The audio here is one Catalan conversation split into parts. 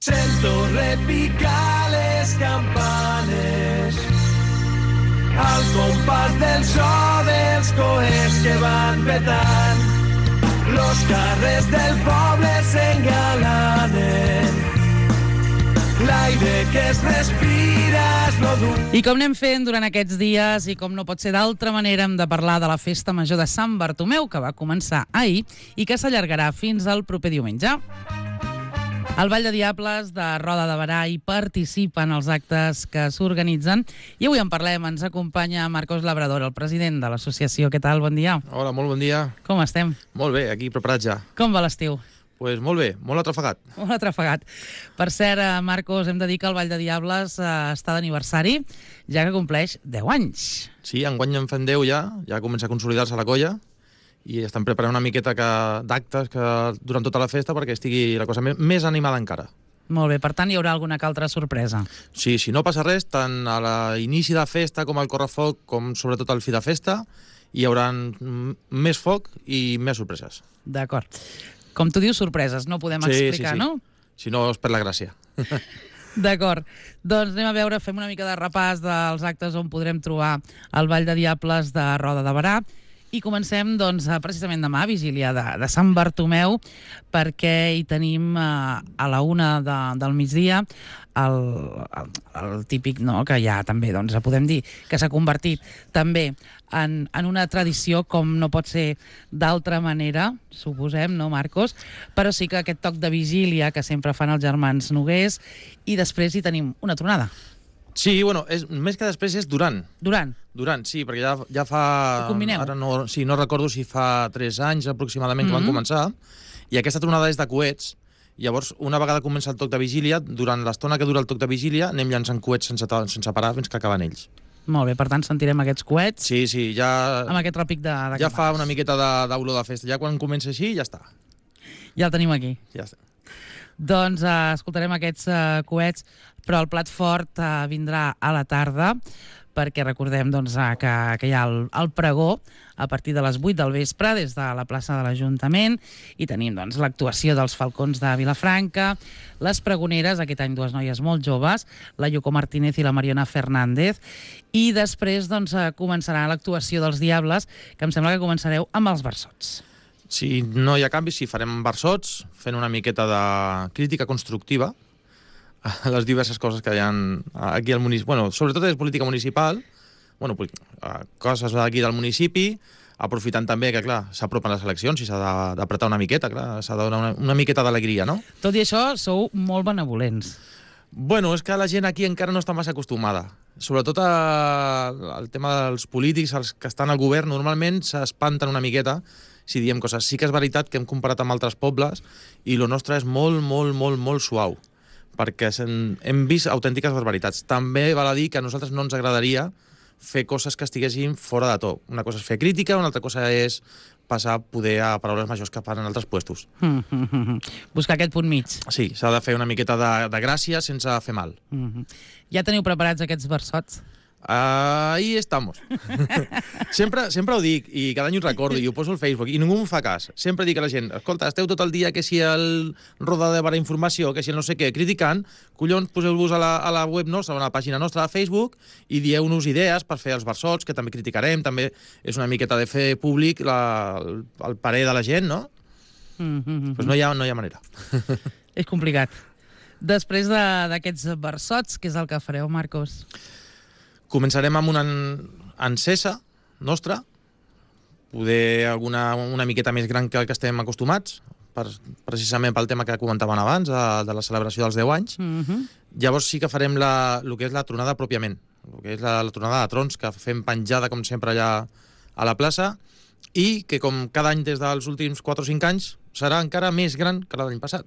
Sento repicar les campanes al compàs del so dels coets que van petant. Los carrers del poble s'engalanen. L'aire que es respira és lo dur. I com anem fent durant aquests dies, i com no pot ser d'altra manera, hem de parlar de la Festa Major de Sant Bartomeu, que va començar ahir i que s'allargarà fins al proper diumenge. El Ball de Diables de Roda de Berà hi participa en els actes que s'organitzen i avui en parlem. Ens acompanya Marcos Labrador, el president de l'associació. Què tal? Bon dia. Hola, molt bon dia. Com estem? Molt bé, aquí preparats ja. Com va l'estiu? Pues molt bé, molt atrafegat. Molt atrafegat. Per cert, Marcos, hem de dir que el Ball de Diables està d'aniversari, ja que compleix 10 anys. Sí, enguany en fem 10 ja comença a consolidar-se la colla i estan preparant una miqueta d'actes durant tota la festa perquè estigui la cosa més animada encara. Molt bé, per tant hi haurà alguna que altra sorpresa. Sí, si no passa res, tant a l'inici de festa com al correfoc, com sobretot al fi de festa, hi haurà més foc i més sorpreses. D'acord. Com tu dius, sorpreses, no podem explicar, sí. no? Si no, es perd la gràcia. D'acord. Doncs anem a veure, fem una mica de repàs dels actes on podrem trobar el Ball de Diables de Roda de Berà. I comencem, doncs, precisament demà, vigília de Sant Bartomeu, perquè hi tenim a la 1 del migdia el típic, no?, que ja també, doncs, podem dir que s'ha convertit també en una tradició, com no pot ser d'altra manera, suposem, no, Marcos? Però sí que aquest toc de vigília que sempre fan els germans Nogués, i després hi tenim una tronada. Sí, bueno, més que després és durant. Durant, sí, perquè ja fa... Ho combineu? Ara no recordo si fa 3 anys aproximadament que van començar, i aquesta tronada és de coets. Llavors, una vegada comença el toc de vigília, durant l'estona que dura el toc de vigília, anem llançant coets sense parar fins que acaben ells. Molt bé, per tant sentirem aquests coets. Sí, ja... Amb aquest repic de ja fa una miqueta d'olor de festa. Ja quan comença així, ja està. Ja el tenim aquí. Ja està. Doncs escoltarem aquests coets, però el plat fort vindrà a la tarda, perquè recordem doncs, que hi ha el pregó a partir de les 8 del vespre des de la plaça de l'Ajuntament, i tenim doncs, l'actuació dels Falcons de Vilafranca, les pregoneres, aquest any 2 noies molt joves, la Yoko Martínez i la Mariona Fernández, i després doncs, començarà l'actuació dels Diables, que em sembla que començareu amb els versots. Si no hi ha canvis, sí, farem versots, fent una miqueta de crítica constructiva a les diverses coses que hi ha aquí al municipi. Bueno, sobretot és política municipal, coses d'aquí del municipi, aprofitant també que, clar, s'apropen les eleccions i s'ha d'apretar una miqueta, clar, s'ha de donar una miqueta d'alegria, no? Tot i això, sou molt benevolents. Bueno, és que la gent aquí encara no està massa acostumada. Sobretot al tema dels polítics, els que estan al govern, normalment s'espanten una miqueta si diem coses. Sí que és veritat que hem comparat amb altres pobles i el nostre és molt, molt, molt, molt suau, perquè hem vist autèntiques barbaritats. També val a dir que a nosaltres no ens agradaria fer coses que estiguessin fora de to. Una cosa és fer crítica, una altra cosa és passar poder a paraules majors que fan en altres puestos. Buscar aquest punt mig. Sí, s'ha de fer una miqueta de gràcia sense fer mal. Ja teniu preparats aquests versots? Ahí estamos. sempre ho dic, i cada any ho recordo, i ho poso al Facebook, i ningú em fa cas. Sempre dic a la gent, escolta, esteu tot el dia que si el Roda de Berà Informació, que si el no sé què, criticant, collons, poseu-vos a la web nostra, a la pàgina nostra de Facebook, i dieu-nos idees per fer els versots, que també criticarem, també és una miqueta de fer públic el parer de la gent, no? Pues no hi ha manera. És complicat. Després d'aquests versots, què és el que fareu, Marcos? Començarem amb una encesa nostra, poder una miqueta més gran que el que estem acostumats, precisament pel tema que comentaven abans, de la celebració dels 10 anys. Llavors sí que farem el que és la tronada pròpiament, el que és la tronada de trons, que fem penjada, com sempre, allà a la plaça, i que, com cada any des dels últims 4 o 5 anys, serà encara més gran que l'any passat.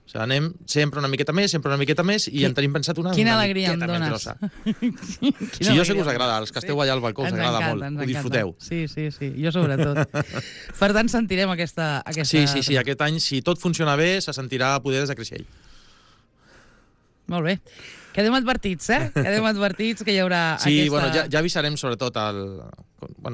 O sigui, anem sempre una miqueta més, i en tenim pensat una alegria miqueta em més dones. grossa. Sí, jo sé que us agrada, els que esteu allà al balcó, us agrada molt, ho disfruteu. Sí, jo sobretot. Per tant, sentirem aquesta... Sí, aquest any, si tot funciona bé, se sentirà poder des de Creixell. Molt bé. Quedem advertits, Quedem advertits que hi haurà aquesta... Sí, bueno, ja avisarem sobretot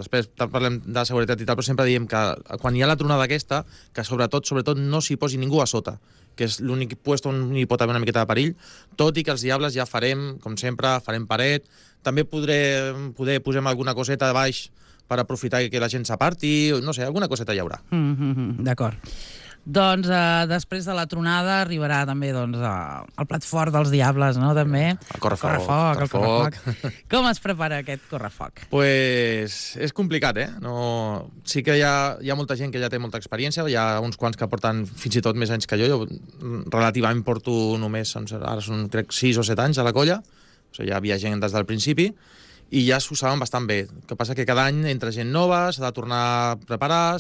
després parlem de seguretat i tal, però sempre diem que quan hi ha la tronada aquesta, que sobretot no s'hi posi ningú a sota, que és l'únic lloc on hi pot haver una miqueta de perill, tot i que els Diables ja farem, com sempre, farem paret. També poder posem alguna coseta de baix per aprofitar que la gent s'aparti, no sé, alguna coseta hi haurà. D'acord. Doncs després de la tronada arribarà també el plat fort dels Diables, no? També. El correfoc. Com es prepara aquest correfoc? Pues és complicat, No... Sí que hi ha molta gent que ja té molta experiència, hi ha uns quants que porten fins i tot més anys que jo relativament porto només, ara són crec 6 o 7 anys a la colla, o sigui, ja havia gent des del principi, i ja s'ho saben bastant bé. El que passa que cada any entra gent nova, s'ha de tornar a preparar,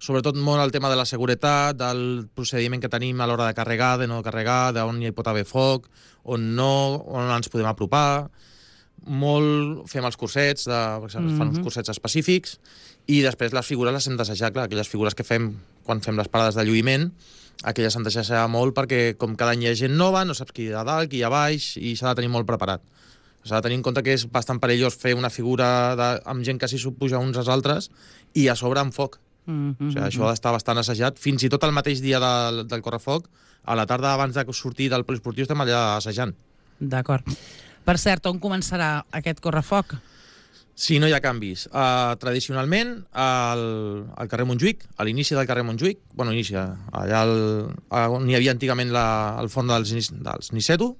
sobretot molt el tema de la seguretat, del procediment que tenim a l'hora de carregar, de no carregar, d'on hi pot haver foc, on no, on ens podem apropar. Molt fem els cursets, fan uns cursets específics, i després les figures les hem d'assajar, clar, aquelles figures que fem quan fem les parades de lluïment, aquelles s'han d'assajar molt perquè com cada any hi ha gent nova, no saps qui hi ha dalt, qui hi ha baix, i s'ha de tenir molt preparat. S'ha de tenir en compte que és bastant perillós fer una figura amb gent que s'hi supuja uns als altres i a sobre amb foc. O sigui, això ha d'estar bastant assajat. Fins i tot el mateix dia del correfoc, a la tarda abans de sortir del poliesportiu estem allà assajant. D'acord. Per cert, on començarà aquest correfoc? Si no hi ha canvis. Tradicionalment, al carrer Montjuïc, a l'inici del carrer Montjuïc, allà on hi havia antigament el forn dels Niceto,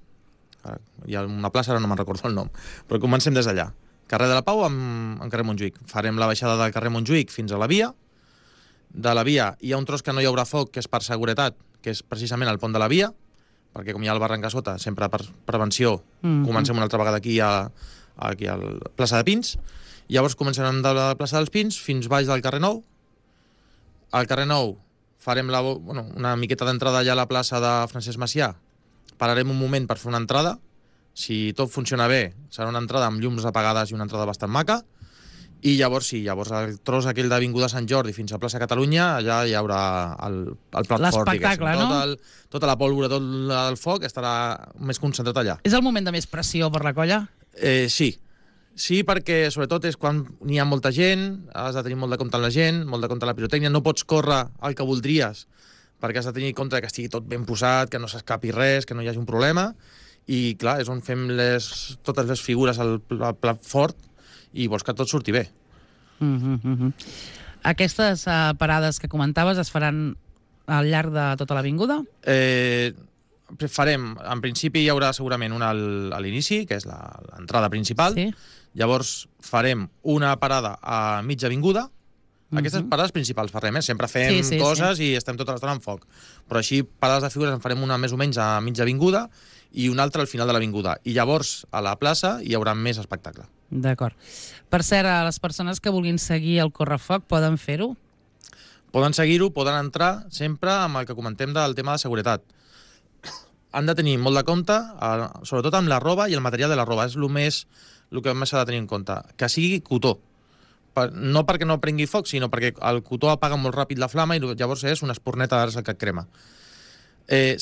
hi ha una plaça, ara no me'n recordo el nom, però comencem des d'allà. Carrer de la Pau amb carrer Montjuïc. Farem la baixada del carrer Montjuïc fins a la via. De la via hi ha un tros que no hi haurà foc, que és per seguretat, que és precisament el pont de la via, perquè com hi ha el barranc a sota, sempre per prevenció, comencem una altra vegada aquí a la plaça de Pins. Llavors començarem de la plaça dels Pins fins baix del carrer Nou. Al carrer Nou farem una miqueta d'entrada allà a la plaça de Francesc Macià. Pararem un moment per fer una entrada. Si tot funciona bé, serà una entrada amb llums apagades i una entrada bastant maca. I llavors el tros aquell d'Avinguda Sant Jordi fins a plaça Catalunya, allà hi haurà el plat fort, l'espectacle, no? Tota la pólvora, tot el foc estarà més concentrat allà. És el moment de més pressió per la colla? Sí, perquè sobretot és quan hi ha molta gent, has de tenir molt de compte amb la gent, molt de compte amb la pirotècnia, no pots córrer el que voldries, perquè has de tenir en compte que estigui tot ben posat, que no s'escapi res, que no hi hagi un problema, i clar, és on fem totes les figures al plat fort, i vols que tot surti bé. Aquestes parades que comentaves es faran al llarg de tota l'avinguda? Farem, en principi hi haurà segurament una a l'inici, que és l'entrada principal. Sí. Llavors farem una parada a mitja avinguda. Aquestes parades principals farem, sempre fem coses i estem tota l'estona en foc. Però així, parades de figures en farem una més o menys a mitja avinguda i una altra al final de l'avinguda. I llavors, a la plaça, hi haurà més espectacle. D'acord. Per cert, a les persones que vulguin seguir el correfoc poden fer-ho? Poden seguir-ho, poden entrar sempre amb el que comentem del tema de seguretat. Han de tenir molt de compte, sobretot amb la roba i el material de la roba. És el que més s'ha de tenir en compte. Que sigui cotó. No perquè no prengui foc, sinó perquè el cotó apaga molt ràpid la flama i llavors és una espurneta d'arç que et crema.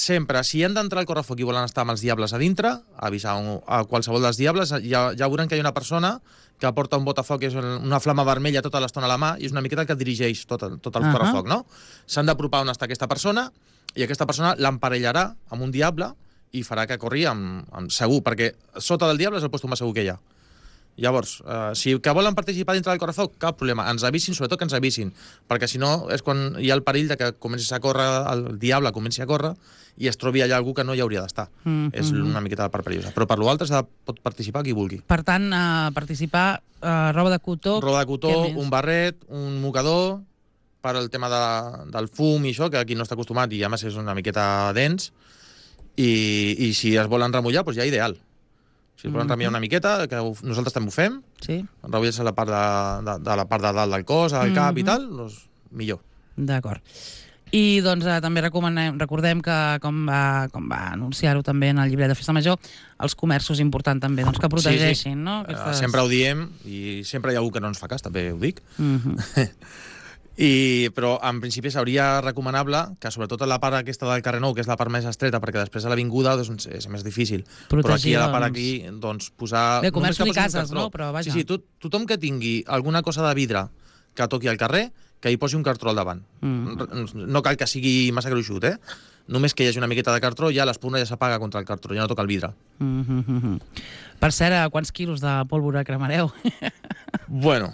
Sempre, si han d'entrar al correfoc i volen estar amb els Diables a dintre, avisar a qualsevol dels Diables, ja veuran que hi ha una persona que porta un botafoc, que és una flama vermella tota l'estona a la mà, i és una miqueta que dirigeix tot el correfoc, no? S'han d'apropar on està aquesta persona, i aquesta persona l'emparellarà amb un Diable i farà que corri segur, perquè sota del Diable és el lloc més segur que hi ha. Llavors, si que volen participar dintre del correfoc, cap problema. Ens avisin, sobretot que ens avisin, perquè si no és quan hi ha el perill de que comencis a córrer, el Diable comenci a córrer i es trobi allà algú que no hi hauria d'estar. És una miqueta de part perillosa. Però per l'altre pot participar qui vulgui. Per tant, participar, roba de cotó... Roba de cotó, un barret, un mocador, per al tema del fum i això, que aquí no està acostumat i a més és una miqueta dens, i si es volen remullar, doncs ja ideal. Si es volen remullar una miqueta, que nosaltres també ho fem, remullar-se la part de la part de dalt del cos, al cap i tal, doncs millor. D'acord. I doncs també recordem que, com va anunciar-ho també en el llibre de Festa Major, els comerços és important també que protegeixin, no? Sempre ho diem i sempre hi ha algú que no ens fa cas, també ho dic. Però en principi seria recomanable que sobretot a la part aquesta del carrer Nou, que és la part més estreta, perquè després a l'avinguda és més difícil. Però aquí a la part aquí, posar... Bé, comerços i cases, no? Però vaja. Sí, tothom que tingui alguna cosa de vidre que toqui al carrer, que hi posi un cartró al davant. No cal que sigui massa gruixut, Només que hi hagi una miqueta de cartró, ja l'espurna ja s'apaga contra el cartró, ja no toca el vidre. Per cert, a quants quilos de pólvora cremareu? Bueno,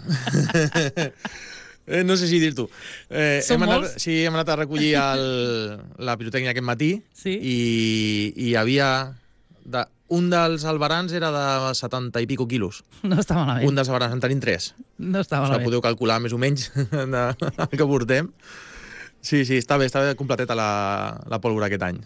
no sé si dir-t'ho. Són molts? Sí, hem anat a recollir la pirotècnia aquest matí i hi havia... Un dels albarans era de 70 i pico quilos. No està malament. Un dels albarans, en tenim 3. No està malament. Podeu calcular més o menys el que portem. Sí, està bé completeta la pólvora aquest any.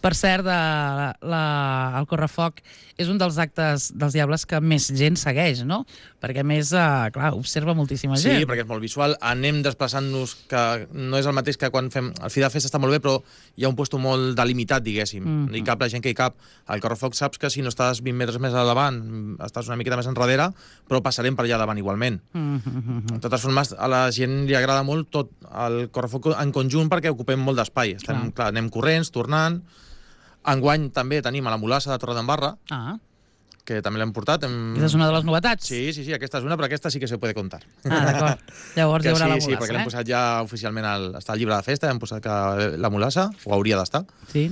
Per cert, el correfoc és un dels actes dels Diables que més gent segueix, no? Perquè, a més, clar, observa moltíssima gent. Sí, perquè és molt visual. Anem desplaçant-nos, que no és el mateix que quan fem... El fi de festa està molt bé, però hi ha un puesto molt delimitat, diguéssim. No hi cap la gent que hi cap. Al correfoc saps que si no estàs 20 metres més a davant, estàs una miqueta més enrere, però passarem per allà davant igualment. De totes formes, a la gent li agrada molt tot el correfoc en conjunt perquè ocupem molt d'espai. Clar, anem corrents, tornant. Enguany també tenim a la Mulassa de Torredembarra, que també l'hem portat. Aquesta és una de les novetats? Sí, aquesta és una, però aquesta sí que se puede contar. D'acord. Llavors hi haurà la Mulassa, perquè l'hem posat ja oficialment, està al llibre de festa, hem posat que la Mulassa, o hauria d'estar. Sí.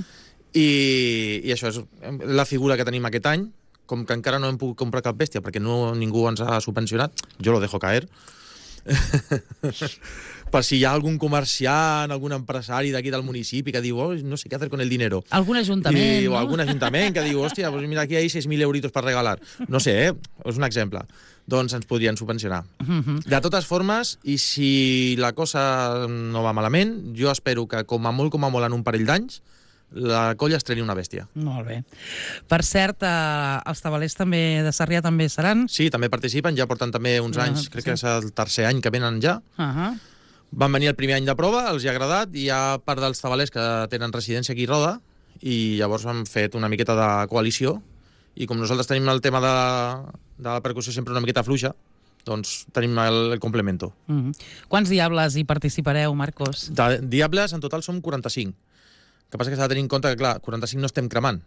I això és la figura que tenim aquest any, com que encara no hem pogut comprar cap bèstia, perquè ningú ens ha subvencionat, jo lo dejo caer, per si hi ha algun comerciant, algun empresari d'aquí del municipi que diu, no sé què hacer con el dinero. Algun ajuntament, no? O algun ajuntament que diu, hòstia, pues mira, aquí hay 6.000 euritos per regalar. No sé, és un exemple. Doncs ens podrien subvencionar. De totes formes, i si la cosa no va malament, jo espero que com a molt en un parell d'anys, la colla estreni una bèstia. Molt bé. Per cert, els tabalers també de Sarrià també seran? Sí, també participen, ja porten també uns anys, crec que és el tercer any que venen ja. Van venir el primer any de prova, els hi ha agradat, i hi ha part dels tabalers que tenen residència aquí a Roda, i llavors han fet una miqueta de coalició, i com nosaltres tenim el tema de la percussió sempre una miqueta fluixa, doncs tenim el complemento. Quants diables hi participareu, Marcos? De diables, en total som 45. El que passa que s'ha de tenir en compte que, clar, 45 no estem cremant.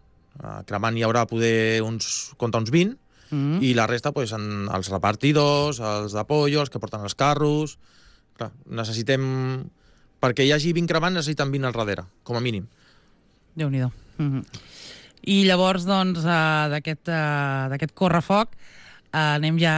Cremant hi haurà poder uns 20, i la resta, doncs, els repartidors, els d'apollo, els que porten els carros... Clar, necessitem... Perquè hi hagi 20 cremant, necessiten 20 al darrere, com a mínim. Déu-n'hi-do. I llavors, doncs, d'aquest correfoc, anem ja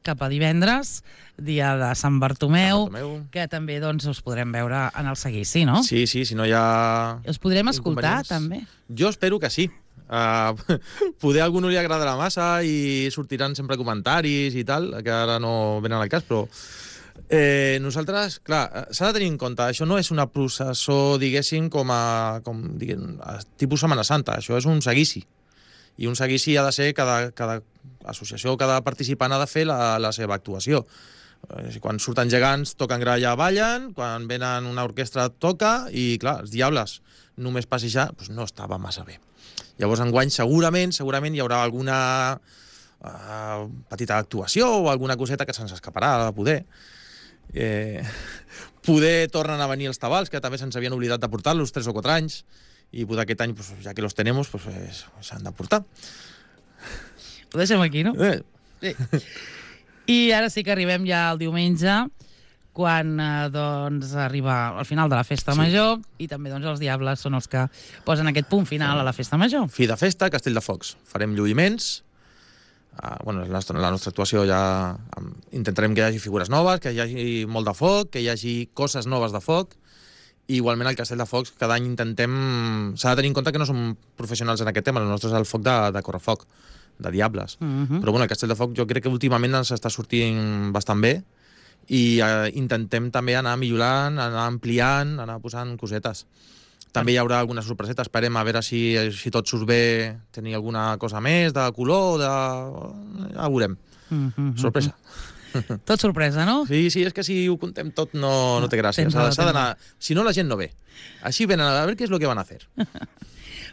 cap a divendres, dia de Sant Bartomeu, que també doncs, us podrem veure en el seguici, no? Sí, si no hi ha... Us podrem escoltar, també? Jo espero que sí. Poder a algú no li agradarà massa i sortiran sempre comentaris i tal, que ara no venen al cas, però... nosaltres, clar, s'ha de tenir en compte, això no és una processó, diguéssim, tipus Setmana Santa, això és un seguici. I un seguici ha de ser, cada associació, cada participant ha de fer la seva actuació. Quan surten gegants, toquen gralla, ballen, quan venen una orquestra, toca, i clar, els diables, només passejar, doncs no estava massa bé. Llavors, enguany, segurament hi haurà alguna petita actuació o alguna coseta que se'ns escaparà de poder. Poder tornen a venir els tabals, que també se'ns havien oblidat de portar-los 3 o 4 anys, i poder aquest any, pues, ja que los tenemos, pues, s'han de portar. Ho deixem aquí, no? Sí. I ara sí que arribem ja al diumenge, quan doncs, arriba al final de la festa major, i també doncs, els diables són els que posen aquest punt final a la festa major. Fi de festa, Castell de Focs. Farem lluïments. La nostra actuació ja intentarem que hi hagi figures noves, que hi hagi molt de foc, que hi hagi coses noves de foc, i igualment al Castell de Focs cada any intentem... S'ha de tenir en compte que no som professionals en aquest tema, el nostre és el foc de correfoc, de diables. Però bueno, el Castell de Focs jo crec que últimament ens està sortint bastant bé, i intentem també anar millorant, anar ampliant, anar posant cosetes. També hi haurà alguna sorpreseta, esperem a veure si tot surt bé, tenir alguna cosa més de color, ja ho veurem. Sorpresa. Tot sorpresa, no? Sí, és que si ho contem tot no té gràcia. S'ha d'anar... Si no, la gent no ve. Així venen a veure què és el que van a fer.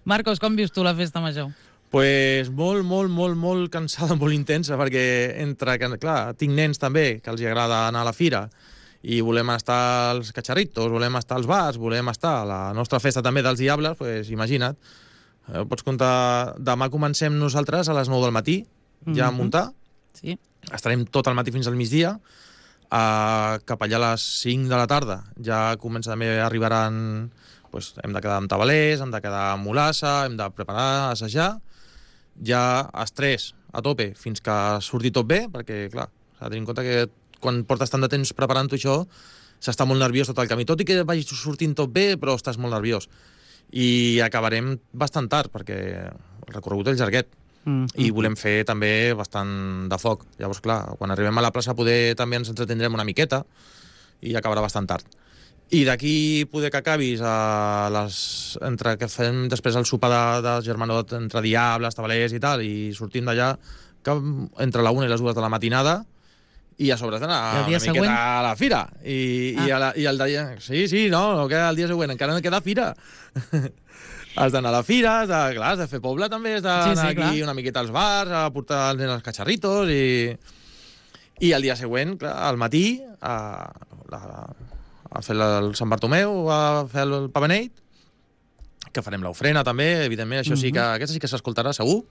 Marcos, com vius tu la festa major? Pues molt cansada, molt intensa, perquè clar, tinc nens també, que els agrada anar a la fira, i volem estar als catxarritos, volem estar als bars, volem estar a la nostra festa també dels diables, pues imagina't. Pots comptar, demà comencem nosaltres a les 9 del matí, ja a muntar. Sí. Estarem tot el matí fins al migdia. Cap allà a les 5 de la tarda ja comença també, arribaran... Pues, hem de quedar amb tabalers, hem de quedar amb molassa, hem de preparar, assajar. Ja estrès a tope fins que surti tot bé, perquè, clar, s'ha de tenir en compte que quan portes tant de temps preparant-ho això, s'està molt nerviós tot el camí. Tot i que vagi sortint tot bé, però estàs molt nerviós. I acabarem bastant tard, perquè el recorregut és llarguet. I volem fer també bastant de foc. Llavors, clar, quan arribem a la plaça poder també ens entretindrem una miqueta i acabarà bastant tard. I d'aquí poder que acabis entre que fem després el sopar de germanot entre diables, tabalers i tal, i sortim d'allà entre la 1 i les 2 de la matinada, i a sobre has d'anar una miqueta a la fira. I el dia... Sí, no queda el dia següent, encara no queda fira. Has d'anar a la fira, has de fer poble també, has d'anar aquí una miqueta als bars, a portar els nens als catxarritos, i el dia següent, clar, al matí, a fer el Sant Bartomeu, a fer el Pabeneit, que farem l'ofrena també, evidentment, això sí que aquesta sí que s'escoltarà segur,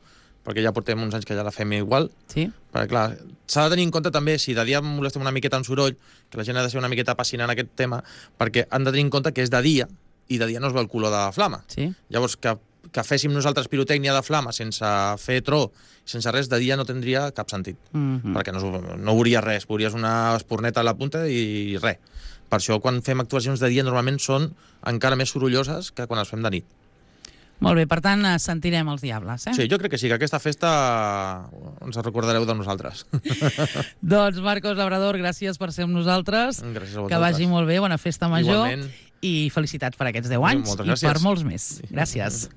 perquè ja portem uns anys que ja la fem igual. Sí. Perquè, clar, s'ha de tenir en compte també, si de dia molestem una miqueta amb soroll, que la gent ha de ser una miqueta apassionant aquest tema, perquè han de tenir en compte que és de dia, i de dia no es veu el color de la flama. Sí. Llavors, que féssim nosaltres pirotècnia de flama sense fer tro, sense res, de dia no tindria cap sentit. Perquè no veuries res, veuries una espurneta a la punta i res. Per això, quan fem actuacions de dia, normalment són encara més sorolloses que quan les fem de nit. Molt bé, per tant, sentirem els diables, Sí, jo crec que sí, que aquesta festa ens recordareu de nosaltres. Doncs, Marcos Labrador, gràcies per ser amb nosaltres. Gràcies a vosaltres. Que vagi molt bé, bona festa major. Igualment. I felicitats per aquests 10 anys i per molts més. Gràcies.